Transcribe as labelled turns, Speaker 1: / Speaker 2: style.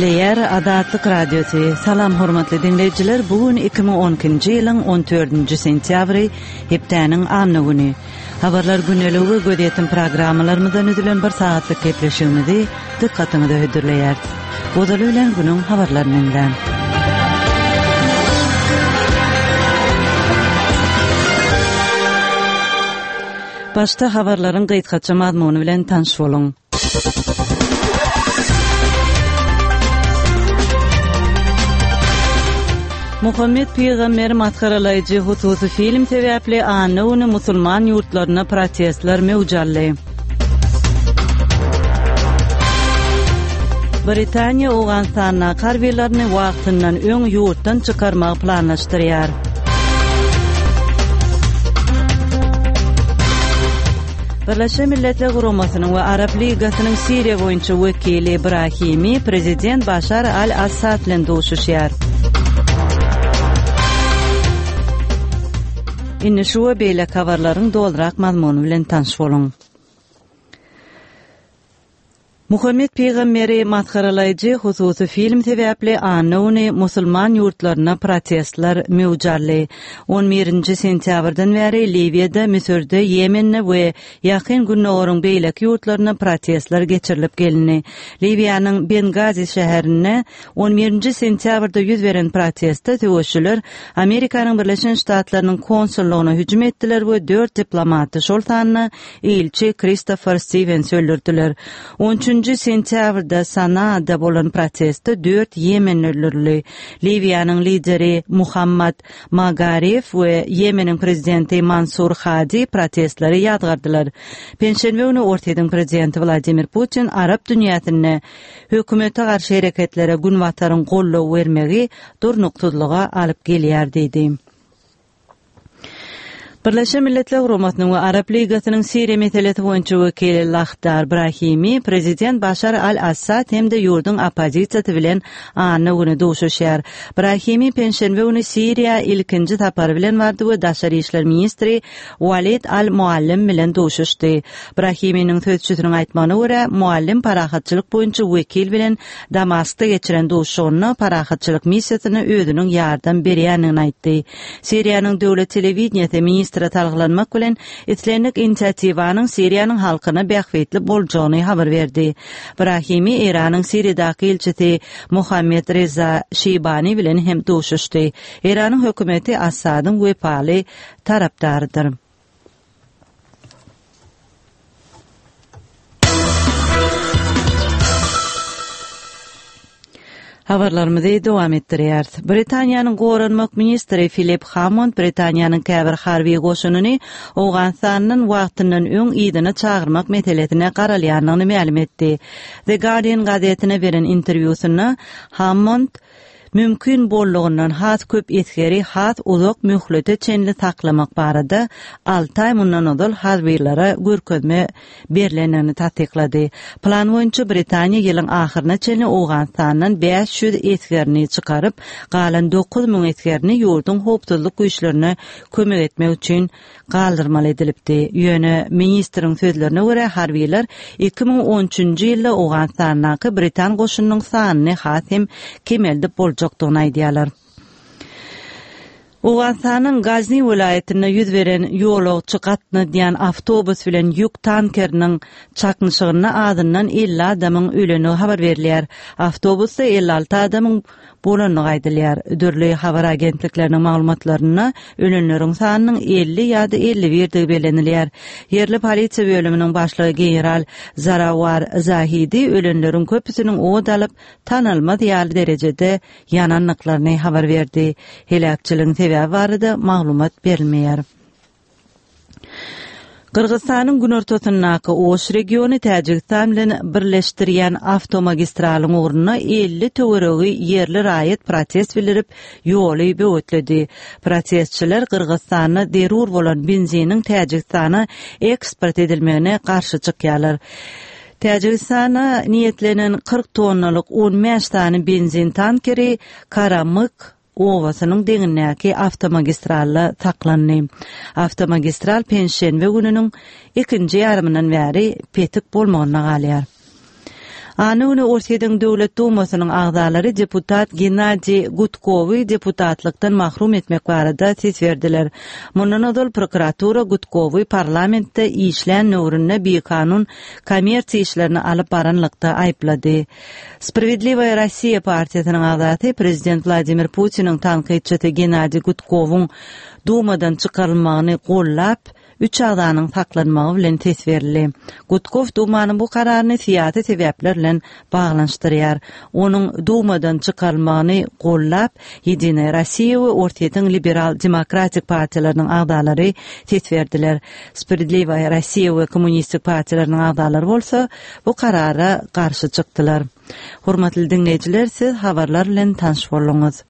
Speaker 1: Gepleýär Azatlyk Radiosy. Salam hormatly diňleýjiler, bu gün 2012-nji ýylyň 14-nji sentýabry, hepdäniň anna güni. Habarlar gündeligi we gözýetim programmalarymyzdan düzülen bir sagatlyk gepleşigimizi dykgatyňyza hödürleýäris. Ozaly bilen günüň habarlaryny diňläň. Başda habarlaryň gysgaça mazmuny bilen tanyş boluň. Muhammet pygamberi masgaralaýjy hususy film sebäpli anna güni musulman ýurtlarynda protestler möwç aldy. Britaniýa Owganystandaky harbylaryny wagtyndan öň ýurtdan çykarmagy planlaşdyrýar. Birleşen Milletler Guramasynyň we Arap Ligasynyň Siriýa boýunça wekili Brahimi prezident Başar al-Assad bilen duşuşýar. Indi şu we beýleki habarlaryň dolurak mazmuny bilen tanyş boluň. Muhammet pygamberi masgaralaýjy hususy film sebäpli anna güni musulman ýurtlarynda protestler möwç aldy. On birinji sentýabrdan bäri Liwiýada, Müsürde, Ýemende we Ýakyn Gündogaryň beýleki ýurtlarynda protestler geçirilip gelindi. Liwiýanyň Bengazi şäherinde on birinji sentýabrda ýüz beren protestde söweşçiler Amerikanyň Birleşen Ştatlarynyň konsullygyna hüjüm etdiler we dört diplomaty, şol sanda ilçi Kristofer Stiwensi öldürdiler. On üçünji sentýabrda Sanaada bolan protestde dört ýemenli öldürildi. Liwiýanyň lideri Muhammad Magarif we Ýemeniň prezidenti Mansur Hadi protestleri ýazgardylar. Penşenbe güni Orsýetiň prezidenti Wladimir Putin arap dünýäsinde hökümete garşy hereketlere Günbataryň goldaw bermegi durnuksyzlyga alyp gelýär diýdi. Birleşen Milletler Guramasynyň we Arap Ligasynyň Siriýa meselesi boýunça wekili Lahdar Brahimi prezident Başar al-Assad hem-de ýurduň oppozisiýasy bilen anna güni duşuşýar. Brahimi penşenbe güni Siriýa ilkinji sapary bilen bardy we daşary işler ministri Walid al-Muallim bilen duşuşdy. Brahiminiň sözçüsiniň aýtmagyna görä, Muallim parahatçylyk boýunça wekil bilen Damaskda geçiren duşuşygynda parahatçylyk missiýasyna özüniň ýardam berýändigini aýtdy. Siriýanyň döwlet telewideniýesi ministre salgylanmak bilen, islendik inisiatiwanyň Siriýanyň halkyna bähbitli boljagyny habar berdi. Brahimi Eýranyň Siriýadaky ilçisi Mohammed Reza Şeýbani bilen hem duşuşdy. Eýranyň hökümeti Assadyň wepaly tarapdarydyr. Habarlarymyzy dowam etdirýäris. Britaniýanyň goranmak ministri Filip Hammond Britaniýanyň käbir harby goşunyny Owganystandan wagtyndan öň yzyna çagyrmak meselesine garalýandygyny mälim etdi. The Guardian gazetine beren interwýusynda Hammond Mümkin boldugyndan has köp esgeri has uzak möhlete çenli saklamak barada alty aý mundan ozal harbylara görkezme berlendigini tassyklady. Plan boýunça Britaniýa ýylyň ahyryna çenli Owganystandan 500 esgerini çykaryp, galan 9000 esgerini ýurduň howpsuzlyk güýçlerine kömek etmek üçin galdyrmaly edilipdi. Ýöne, ministriň sözlerine görä, harbylar 2013-nji ýylda Owganystandaky britan goşunynyň sanyny has hem kemeldip boljakdygyny aýdýarlar. Owganystanyň Gazni welaýatynda ýüz beren ýolagçy gatnadýan awtobus bilen ýük tankeriniň çaknyşygynda azyndan 50 adamyň ölendigi habar berilýär. Awtobusda 56 adamyň bolandygy aýdylýar. Dürli habar agentlikleriniň maglumatlarynda ölenleriň sanynyň 50 ýa-da 51-digi bellenilýär. Ýerli polisiýa bölüminiň başlygy general Zarawar Zahidi ölenleriň köpüsiniň ot alyp, tanalmaz ýaly derejede ýanandyklaryny habar berdi. Heläkçiligiň sebäbi barada maglumat berilmeýär. Gyrgyzystanyň günortasyndaky Oş regiony Täjigistan bilen birleşdirýän awtomagistralyň ugrunda 50 töweregi ýerli raýat protest bildirip, ýoly böwetledi. Protestçiler Gyrgyzystanda zerur bolan benziniň Täjigistana eksport edilmegine garşy çykýarlar. Täjigistana niýetlenen 40 tonnalyk 15 sany benzin tankeri Karamyk obasynyň deňindäki awtomagistralda saklandy. Awtomagistral penşenbe gününiň ikinji ýarymyndan bäri petik bolmagynda galýar. Anna güni Orsýetiň Döwlet Dumasynyň agzalary deputat Gennadiý Gudkowy deputatlykdan mahrum etmek barada ses berdiler. Mundan ozal prokuratura Gudkowy parlamentde işlän döwründe bikanun kommersiýa işlerini alyp baranlykda aýyplady. Sprawiedliwaýa Rossiýa partiýasynyň agzasy, prezident Wladimir Putiniň tankytçysy Gennadiý Gudkowyň Dumadan çykarylmagyny gollap, Üç agzanyň saklanmagy bilen ses berildi. Gudkow Dumanyň bu kararyny syýasy sebäpler bilen baglanyşdyrýar. Onuň Dumadan çykarylmagyny gollap, Ýedinaýa Rossiýa we Orsýetiň Liberal-demokratik partiýalarynyň agzalary ses berdiler. Sprawiedliwaýa Rossiýa we Kommunistik partiýalarynyň agzalary bolsa bu karara garşy çykdylar. Hormatly diňleýjiler, siz habarlar bilen tanyş bolduňyz.